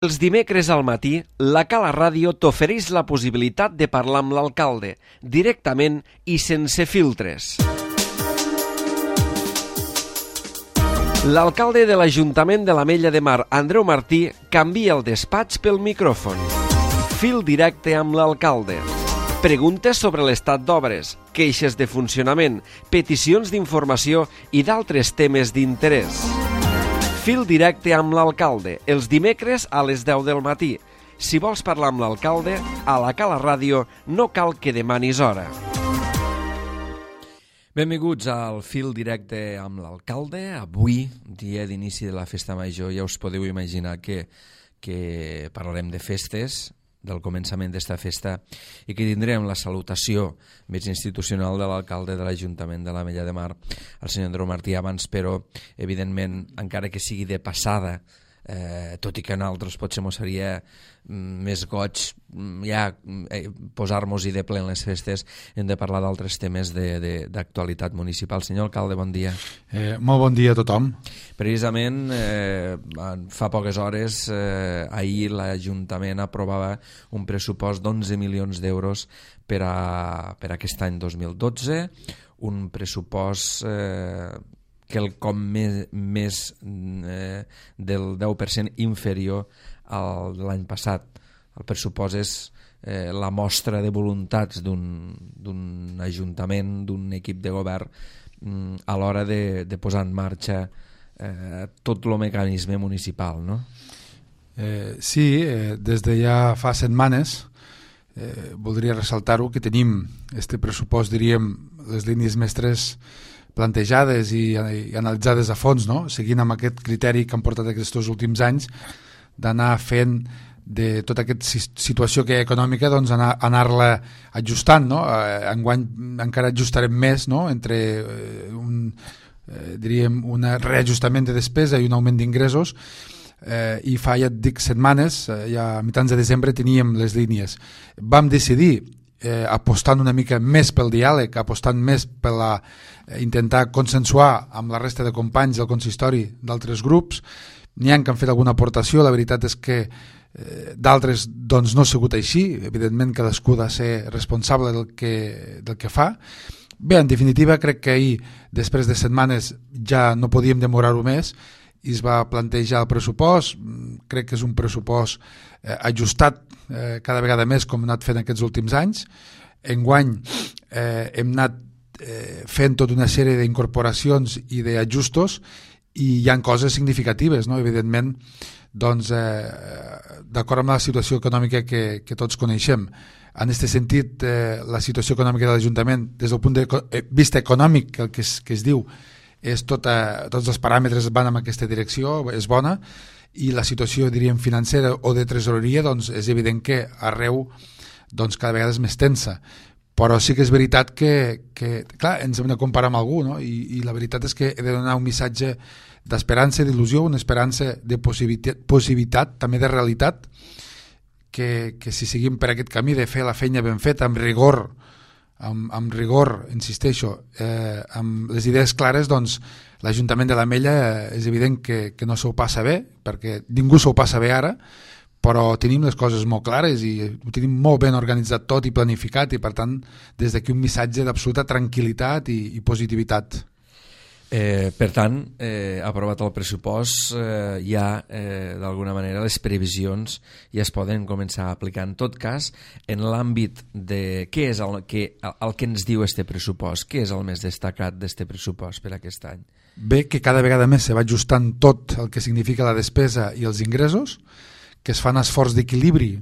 Els dimecres al matí, la Cala Ràdio t'ofereix la possibilitat de parlar amb l'alcalde, directament i sense filtres. L'alcalde de l'Ajuntament de l'Ametlla de Mar, Andreu Martí, canvia el despatx pel micròfon. Fil directe amb l'alcalde. Preguntes sobre l'estat d'obres, queixes de funcionament, peticions d'informació i d'altres temes d'interès. Fil directe amb l'alcalde, els dimecres a les 10 del matí. Si vols parlar amb l'alcalde, a la Cala Ràdio no cal que demanis hora. Benvinguts al Fil directe amb l'alcalde. Avui, dia d'inici de la Festa Major, ja us podeu imaginar que parlarem de festes, del començament d'esta festa, i que tindrem la salutació més institucional de l'alcalde de l'Ajuntament de l'Ametlla de Mar, el senyor Andreu Martí, abans, però, evidentment, encara que sigui de passada, tot i que a nosaltres potser mos seria més goig ja posar-nos-hi de ple en les festes, hem de parlar d'altres temes d'actualitat municipal. Senyor alcalde, bon dia. Molt bon dia a tothom. Precisament, fa poques hores, ahir l'Ajuntament aprovava un pressupost d'11 milions d'euros per a aquest any 2012, un pressupost quelcom més del 10% inferior al de l'any passat. El pressupost és la mostra de voluntats d'un ajuntament, d'un equip de govern a l'hora de posar en marxa tot el mecanisme municipal, no? Sí, des de ja fa setmanes voldria ressaltar-ho, que tenim este pressupost, diríem, les línies mestres plantejades i analitzades a fons, no? Seguint amb aquest criteri que han portat aquests últims anys, d'anar fent de tota aquesta situació que hi ha econòmica, doncs anar-la ajustant, no? Enguany encara ajustarem més, no? Entre diríem un reajustament de despesa i un augment d'ingressos, i fa, ja et dic, setmanes, ja a mitjans de desembre teníem les línies. Vam decidir, apostant una mica més pel diàleg, apostant més per intentar consensuar amb la resta de companys del consistori d'altres grups. N'hi ha que han fet alguna aportació, la veritat és que d'altres doncs no ha sigut així, evidentment cadascú ha de ser responsable del que fa. Bé, en definitiva, crec que ahir, després de setmanes, ja no podíem demorar-ho més i es va plantejar el pressupost. Crec que és un pressupost ajustat cada vegada més, com hem anat fent aquests últims anys. Enguany hem anat fent tota una sèrie d'incorporacions i d'ajustos, i hi ha coses significatives, no? Evidentment, doncs, d'acord amb la situació econòmica que tots coneixem. En aquest sentit, la situació econòmica de l'Ajuntament, des del punt de vista econòmic, el que es diu, és tots els paràmetres van en aquesta direcció, és bona, i la situació, diríem, financera o de tresoreria, doncs és evident que arreu doncs, cada vegada és més tensa. Però sí que és veritat que clar, ens hem de comparar amb algú, no? I la veritat és que he de donar un missatge d'esperança, d'il·lusió, una esperança de possibilitat, també de realitat, que si seguim per aquest camí de fer la feina ben feta, amb rigor, insisteixo, amb les idees clares, doncs l'Ajuntament de l'Ametlla és evident que no s'ho passa bé, perquè ningú s'ho passa bé ara, però tenim les coses molt clares i ho tenim molt ben organitzat tot i planificat, i per tant des d'aquí un missatge d'absoluta tranquil·litat i positivitat. Per tant, aprovat el pressupost, ja d'alguna manera les previsions ja es poden començar a aplicar. En tot cas, en l'àmbit de què és el que ens diu este pressupost, què és el més destacat d'este pressupost per aquest any? Bé, que cada vegada més se va ajustant tot el que significa la despesa i els ingressos, que es fan esforç d'equilibri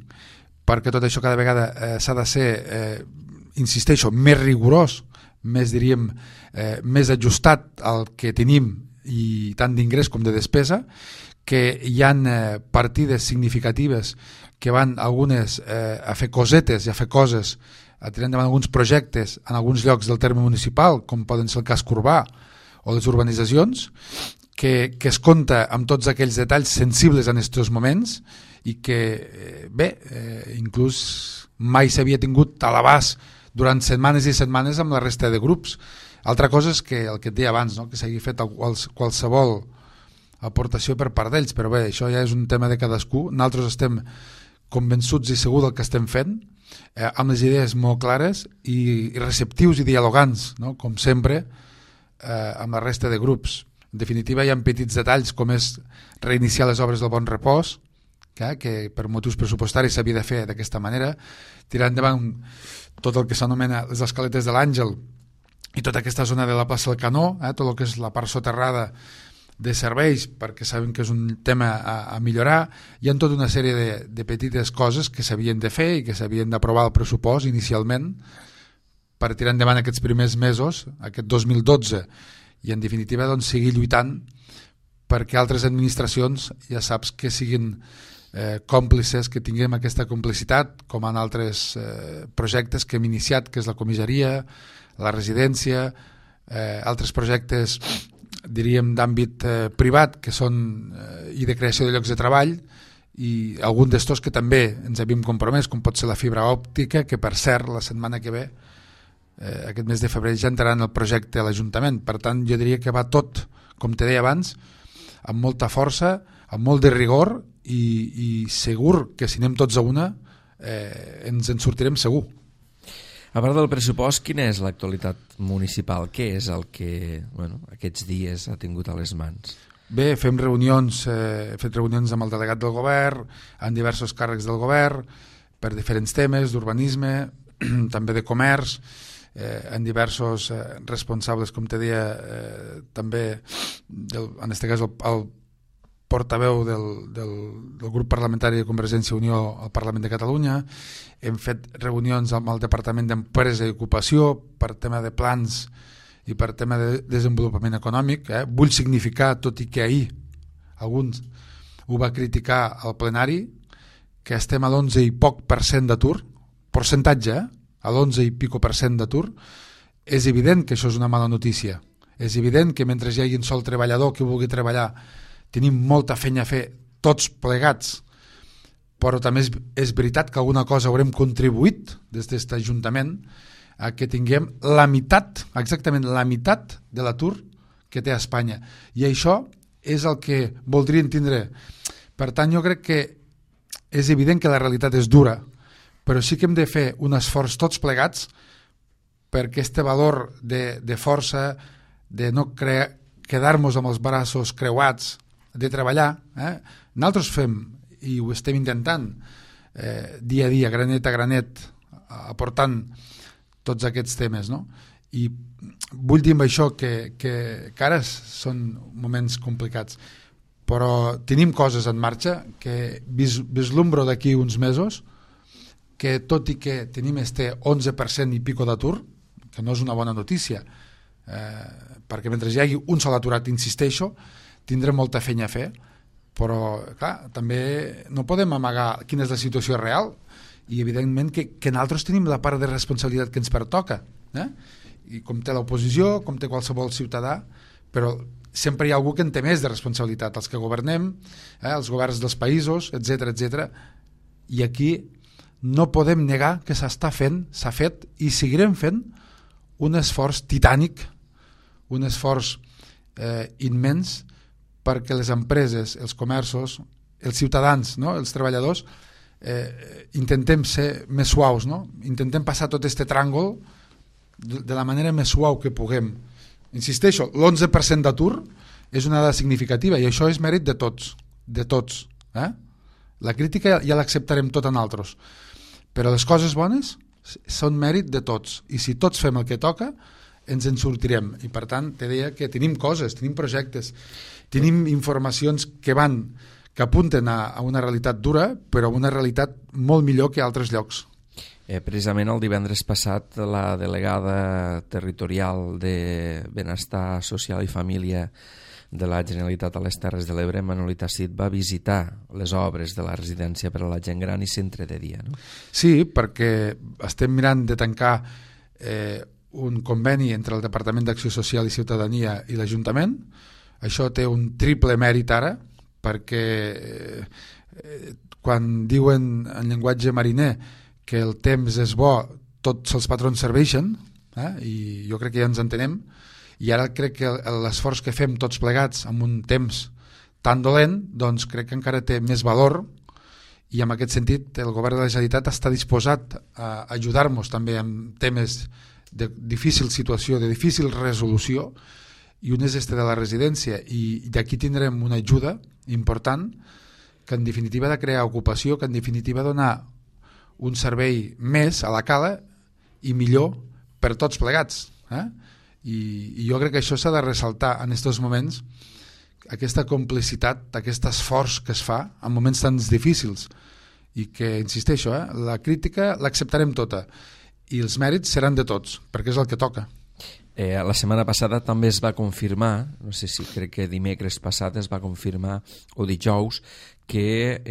perquè tot això cada vegada s'ha de ser, insisteixo, més rigorós, més, diríem, més ajustat al que tenim, i tant d'ingrés com de despesa, que hi ha partides significatives que van algunes a fer cosetes i a fer coses, a tirar endavant alguns projectes en alguns llocs del terme municipal, com poden ser el casc urbà o les urbanitzacions, que es compta amb tots aquells detalls sensibles en aquests moments i que, bé, inclús mai s'havia tingut a l'abast durant setmanes i setmanes amb la resta de grups. Altra cosa és que el que et deia abans, no? Que s'hagi fet qualsevol aportació per part d'ells, però bé, això ja és un tema de cadascú. Nosaltres estem convençuts i segurs del que estem fent, amb les idees molt clares i receptius i dialogants, no? Com sempre, amb la resta de grups. En definitiva, hi ha petits detalls com és reiniciar les obres del Bon Repòs, que per motius pressupostaris s'havia de fer d'aquesta manera, tirar endavant tot el que s'anomena les escaletes de l'Àngel i tota aquesta zona de la plaça del Canó, tot el que és la part soterrada de serveis, perquè sabem que és un tema a millorar. Hi ha tota una sèrie de petites coses que s'havien de fer i que s'havien d'aprovar el pressupost inicialment per tirar endavant aquests primers mesos, aquest 2012, i en definitiva doncs, seguir lluitant perquè altres administracions ja saps que siguin còmplices, que tinguem aquesta complicitat, com en altres projectes que hem iniciat, que és la comissaria, la residència, altres projectes diríem d'àmbit privat que són i de creació de llocs de treball, i algun d'estos que també ens havíem compromès, com pot ser la fibra òptica, que per cert la setmana que ve, aquest mes de febrer, ja entrarà en el projecte a l'Ajuntament. Per tant, jo diria que va tot, com te deia abans, amb molta força, amb molt de rigor, i segur que si anem tots a una ens en sortirem segur. A part del pressupost, quina és l'actualitat municipal? Què és el que aquests dies ha tingut a les mans? Bé, fem reunions, he fet reunions amb el delegat del govern, amb diversos càrrecs del govern, per diferents temes d'urbanisme, també de comerç, en diversos responsables, com te deia, també, en aquest cas el portaveu del grup parlamentari de Convergència i Unió al Parlament de Catalunya. Hem fet reunions amb el Departament d'Empresa i Ocupació per tema de plans i per tema de desenvolupament econòmic. Vull significar, tot i que ahir alguns ho va criticar al plenari, que estem a l'11 i poc per cent d'atur, percentatge, a l'11 i pico per cent d'atur. És evident que això és una mala notícia. És evident que mentre hi hagi un sol treballador que vulgui treballar tenim molta feina a fer tots plegats, però també és veritat que alguna cosa haurem contribuït des d'aquest Ajuntament a que tinguem la meitat, exactament la meitat de l'atur que té a Espanya, i això és el que voldrien tindre. Per tant, jo crec que és evident que la realitat és dura, però sí que hem de fer un esforç tots plegats per aquest valor de força, de no quedar-nos amb els braços creuats, de treballar. Nosaltres fem, i ho estem intentant, dia a dia, granet a granet, aportant tots aquests temes, no? I vull dir amb això que ara són moments complicats, però tenim coses en marxa que vislumbro d'aquí uns mesos, que tot i que tenim este 11% i pico d'atur, que no és una bona notícia, perquè mentre hi hagi un sol aturat, insisteixo, tindrem molta feina a fer, però clar, també no podem amagar quina és la situació real, i evidentment que nosaltres tenim la part de responsabilitat que ens pertoca, i com té l'oposició, com té qualsevol ciutadà, però sempre hi ha algú que en té més de responsabilitat, els que governem, els governs dels països, etc etc. I aquí no podem negar que s'està fent, s'ha fet i seguirem fent un esforç titànic, un esforç immens, perquè les empreses, els comerços, els ciutadans, no? Els treballadors, intentem ser més suaus, no? Intentem passar tot aquest tràngol de la manera més suau que puguem. Insisteixo, l'11% d'atur és una dada significativa i això és mèrit de tots, de tots. La crítica ja l'acceptarem tot en altres, però les coses bones són mèrit de tots, i si tots fem el que toca ens en sortirem. I per tant te deia que tenim coses, tenim projectes, tenim informacions que apunten a una realitat dura, però una realitat molt millor que altres llocs. Precisament el divendres passat la delegada territorial de Benestar Social i Família de la Generalitat a les Terres de l'Ebre, Manolita Cid, va visitar les obres de la residència per a la gent gran i centre de dia, no? Sí, perquè estem mirant de tancar un conveni entre el Departament d'Acció Social i Ciutadania i l'Ajuntament. Això té un triple mèrit ara, perquè quan diuen en llenguatge mariner que el temps és bo, tots els patrons serveixen, i jo crec que ja ens entenem, i ara crec que l'esforç que fem tots plegats amb un temps tan dolent, doncs crec que encara té més valor, i en aquest sentit el govern de la Generalitat està disposat a ajudar-nos també en temes de difícil situació, de difícil resolució, i un és este de la residència, i d'aquí tindrem una ajuda important que en definitiva ha de crear ocupació, que en definitiva donar un servei més a la cala i millor per tots plegats. I jo crec que això s'ha de ressaltar en aquests moments, aquesta complicitat, aquest esforç que es fa en moments tan difícils, i que, insisteixo, la crítica l'acceptarem tota i els mèrits seran de tots, perquè és el que toca. La setmana passada també es va confirmar, no sé si crec que dimecres passat es va confirmar, o dijous, que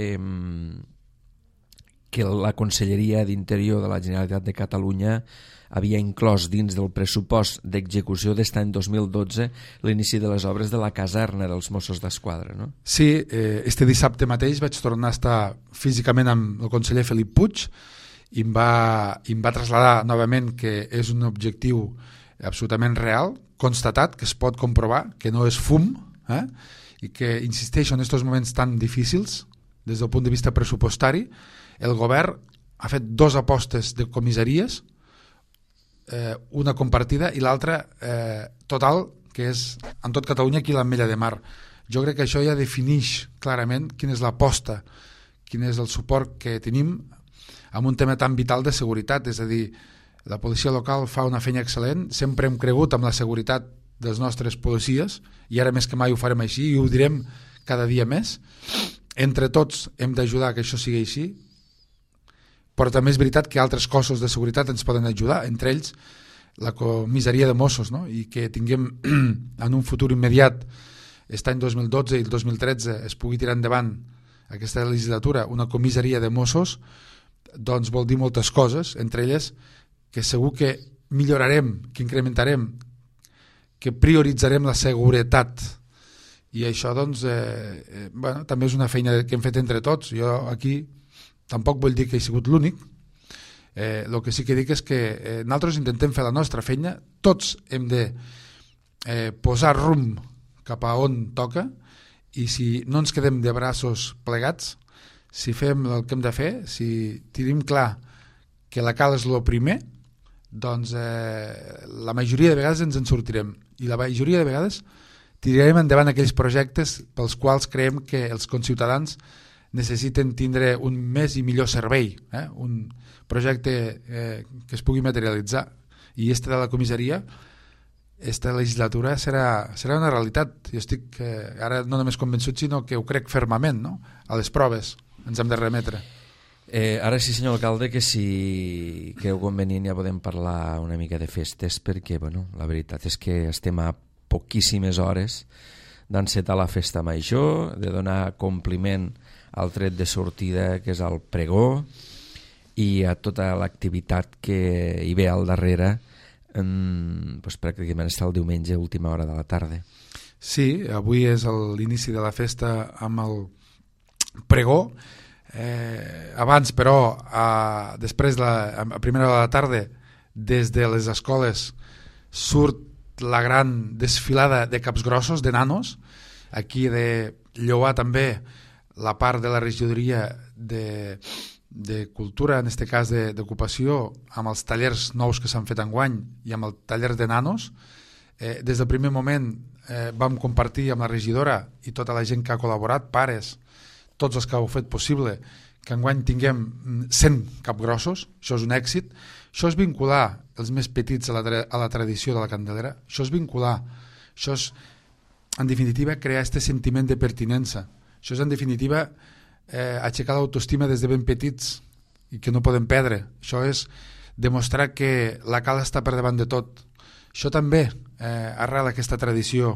la Conselleria d'Interior de la Generalitat de Catalunya havia inclòs dins del pressupost d'execució d'aquest any 2012 l'inici de les obres de la caserna dels Mossos d'Esquadra, no? Sí, este dissabte mateix vaig tornar a estar físicament amb el conseller Felip Puig i em va traslladar novament que és un objectiu absolutament real, constatat, que es pot comprovar, que no és fum, i que, insisteixo, en aquests moments tan difícils, des del punt de vista pressupostari, el govern ha fet 2 apostes de comissaries, una compartida i l'altra total, que és en tot Catalunya aquí l'Ametlla de Mar. Jo crec que això ja defineix clarament quina és l'aposta, quin és el suport que tenim en un tema tan vital de seguretat, és a dir, la policia local fa una feina excel·lent, sempre hem cregut en la seguretat dels nostres policies i ara més que mai ho farem així i ho direm cada dia més. Entre tots hem d'ajudar que això sigui així, però també és veritat que altres cossos de seguretat ens poden ajudar, entre ells la comissaria de Mossos, no? I que tinguem en un futur immediat, aquest any 2012 i el 2013 es pugui tirar endavant aquesta legislatura, una comissaria de Mossos, doncs vol dir moltes coses, entre elles que segur que millorarem, que incrementarem, que prioritzarem la seguretat, i això doncs bueno, també és una feina que hem fet entre tots. Jo aquí tampoc vull dir que he sigut l'únic, el que sí que dic és que nosaltres intentem fer la nostra feina, tots hem de posar rumb cap a on toca, i si no ens quedem de braços plegats, si fem el que hem de fer, si tenim clar que la cal és el primer, doncs la majoria de vegades ens en sortirem, i la majoria de vegades tirarem endavant aquells projectes pels quals creiem que els conciutadans necessiten tindre un més i millor servei, un projecte que es pugui materialitzar, i este de la comissaria, esta legislatura serà una realitat. Jo estic ara no només convençut, sinó que ho crec fermament, no? A les proves ens hem de remetre. Ara sí, senyor alcalde, que si creu convenient ja podem parlar una mica de festes, perquè bueno, la veritat és que estem a poquíssimes hores d'encetar la festa major, de donar compliment al tret de sortida, que és el pregó, i a tota l'activitat que hi ve al darrere, doncs pràcticament està el diumenge a última hora de la tarda. Sí, avui és l'inici de la festa amb el pregó. Abans, però, després, a primera hora de la tarda, des de les escoles surt la gran desfilada de capgrossos, de nanos. Aquí de lloar també la part de la regidoria de cultura, en aquest cas d'ocupació, amb els tallers nous que s'han fet enguany i amb el taller de nanos. Des del primer moment vam compartir amb la regidora i tota la gent que ha col·laborat, pares, tots els que heu fet possible, que enguany tinguem 100 capgrossos. Això és un èxit. Això és vincular els més petits a la tradició de la Candelera. Això és vincular. Això és, en definitiva, crear aquest sentiment de pertinença. Això és, en definitiva, aixecar l'autoestima des de ben petits i que no podem perdre. Això és demostrar que la cal està per davant de tot. Això també arrela aquesta tradició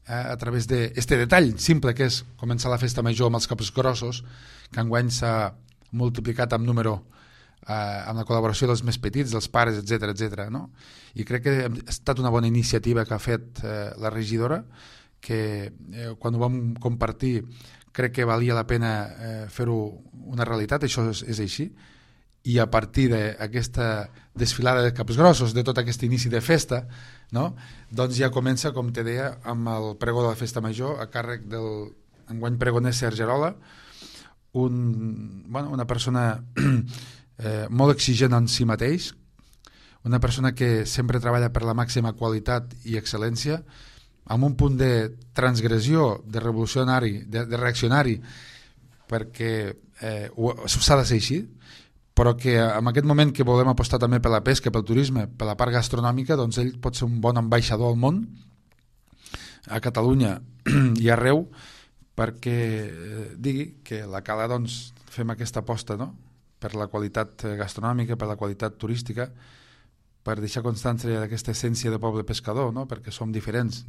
a través d'aquest detall simple que és començar la festa major amb els caps grossos, que enguany s'ha multiplicat amb número amb la col·laboració dels més petits, dels pares, etc., no? I crec que ha estat una bona iniciativa que ha fet la regidora, que quan ho vam compartir crec que valia la pena fer-ho una realitat. Això és així, i a partir d'aquesta desfilada de caps grossos, de tot aquest inici de festa, no? Doncs ja comença, com te deia, amb el pregó de la festa major a càrrec del enguany pregoner Sergi Arola, una persona molt exigent en si mateix, una persona que sempre treballa per la màxima qualitat i excel·lència, amb un punt de transgressió, de revolucionari, de reaccionari, perquè s'ha de ser així, però que en aquest moment que volem apostar també per la pesca, pel turisme, per la part gastronòmica, doncs ell pot ser un bon ambaixador al món, a Catalunya i arreu, perquè digui que la Cala doncs, fem aquesta aposta, no? Per la qualitat gastronòmica, per la qualitat turística, per deixar constància d'aquesta essència de poble pescador, no? Perquè som diferents,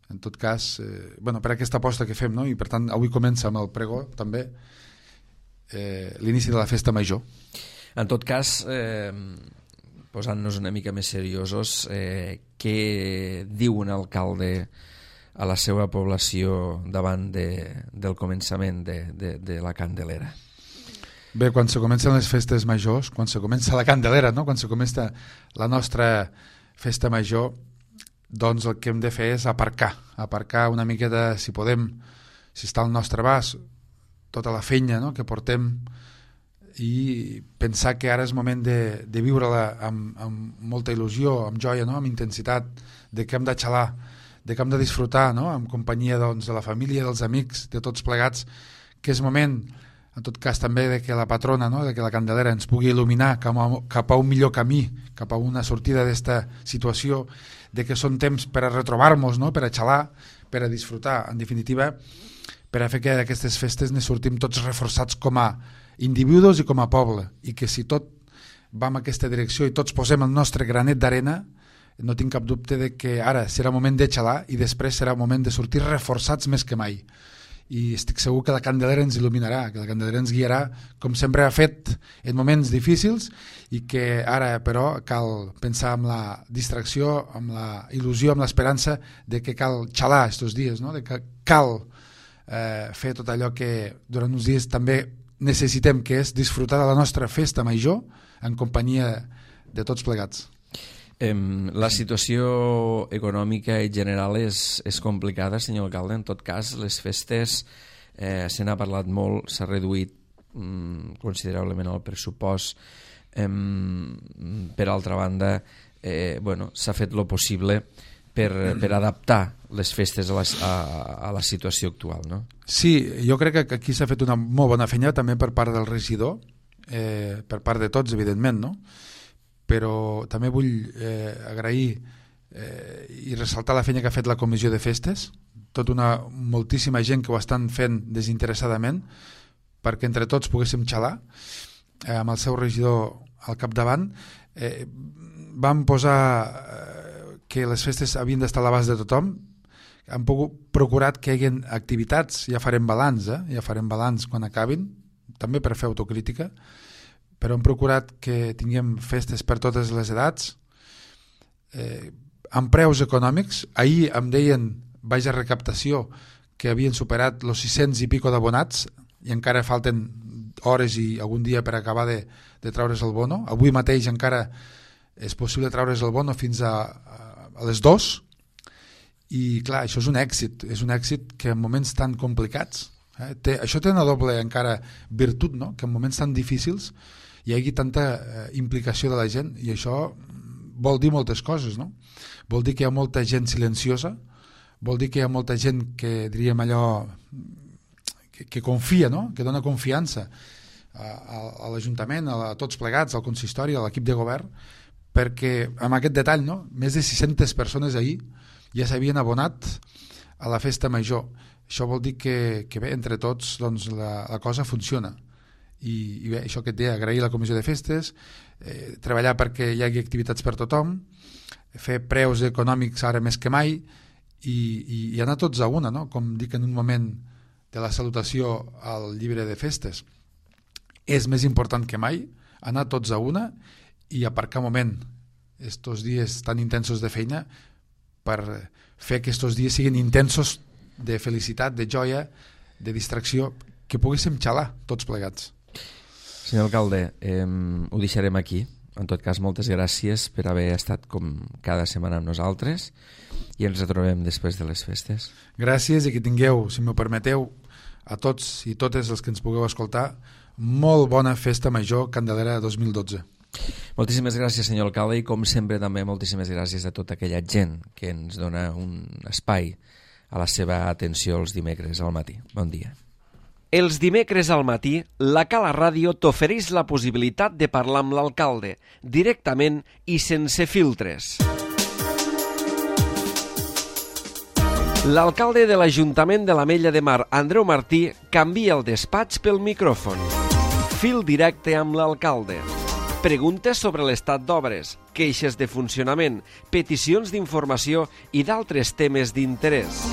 en tot cas, per aquesta aposta que fem, no? I per tant avui comença amb el pregó també l'inici de la festa major. En tot cas, posant-nos una mica més seriosos, què diu un alcalde a la seva població davant del començament de la Candelera? Bé, quan se comencen les festes majors, quan se comença la Candelera, no? Quan se comença la nostra festa major, doncs el que hem de fer és aparcar una miqueta, si podem, si està al nostre abast, tota la feina, no? Que portem, i pensar que ara és moment de viure-la amb molta il·lusió, amb joia, no? Amb intensitat, de que hem de xalar, de que hem de disfrutar, no? En companyia doncs, de la família, dels amics, de tots plegats, que és moment, en tot cas també, de que la patrona, no? De que la Candelera ens pugui il·luminar cap a un millor camí, cap a una sortida d'esta situació, de que són temps per a retrobar-nos, no? Per a xalar, per a disfrutar, en definitiva, per a fer que d'aquestes festes ne sortim tots reforçats com a individus i com a poble, i que si tot va en aquesta direcció i tots posem el nostre granet d'arena, no tinc cap dubte de que ara serà moment de xalar i després serà moment de sortir reforçats més que mai. I estic segur que la Candelera ens il·luminarà, que la Candelera ens guiarà com sempre ha fet en moments difícils, i que ara però cal pensar en la distracció, amb la il·lusió, amb l'esperança de que cal xalar estos dies, no? De que cal fer tot allò que durant uns dies també necessitem, que és disfrutar de la nostra festa major en companyia de tots plegats. La situació econòmica en general és complicada, senyor alcalde. En tot cas, les festes se n'ha parlat molt, s'ha reduït considerablement el pressupost. Per altra banda, s'ha fet lo possible per adaptar les festes a la situació actual, no? Sí, jo crec que aquí s'ha fet una molt bona feina també per part del regidor, per part de tots, evidentment, no? Però també vull agrair i ressaltar la feina que ha fet la comissió de festes, moltíssima gent que ho estan fent desinteressadament, perquè entre tots poguéssim xalar, amb el seu regidor al capdavant. Vam posar que les festes havien d'estar a l'abast de tothom, han procurat que hi hagi activitats, ja farem balanç, ja farem balanç quan acabin, també per fer autocrítica, però hem procurat que tinguem festes per totes les edats, amb preus econòmics. Ahir em deien, baix a recaptació, que havien superat els 600 i pico d'abonats, i encara falten hores i algun dia per acabar de treure's el bono. Avui mateix encara és possible treure's el bono fins a les 2, i clar, això és un èxit que en moments tan complicats, això té una doble encara virtut, no? Que en moments tan difícils hi hagi tanta implicació de la gent, i això vol dir moltes coses, no? Vol dir que hi ha molta gent silenciosa, vol dir que hi ha molta gent que diríem allò que confia, no? Que dona confiança a l'Ajuntament, a tots plegats, al consistori, a l'equip de govern, perquè amb aquest detall, no? Més de 600 persones ahir ja s'havien abonat a la festa major. Això vol dir que bé, entre tots doncs, la cosa funciona. I bé, això que et deia, agrair la comissió de festes, treballar perquè hi hagi activitats per tothom, fer preus econòmics ara més que mai, i anar tots a una, no? Com dic en un moment de la salutació al llibre de festes. És més important que mai anar tots a una i aparcar un moment estos dies tan intensos de feina per fer que estos dies siguin intensos de felicitat, de joia, de distracció, que poguéssim xalar tots plegats. Senyor alcalde, ho deixarem aquí. En tot cas, moltes gràcies per haver estat com cada setmana amb nosaltres i ens retrobem després de les festes. Gràcies i que tingueu, si m'ho permeteu, a tots i totes els que ens pugueu escoltar, molt bona festa major Candelera 2012. Moltíssimes gràcies, senyor alcalde, i com sempre també moltíssimes gràcies a tota aquella gent que ens dona un espai a la seva atenció els dimecres al matí. Bon dia. Els dimecres al matí, la Cala Ràdio t'ofereix la possibilitat de parlar amb l'alcalde, directament i sense filtres. L'alcalde de l'Ajuntament de l'Ametlla de Mar, Andreu Martí, canvia el despatx pel micròfon. Fil directe amb l'alcalde. Preguntes sobre l'estat d'obres, queixes de funcionament, peticions d'informació i d'altres temes d'interès.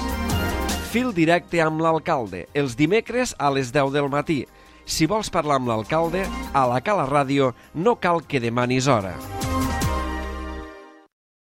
Fil directe amb l'alcalde, els dimecres a les 10 del matí. Si vols parlar amb l'alcalde, a la Cala Ràdio no cal que demanis hora.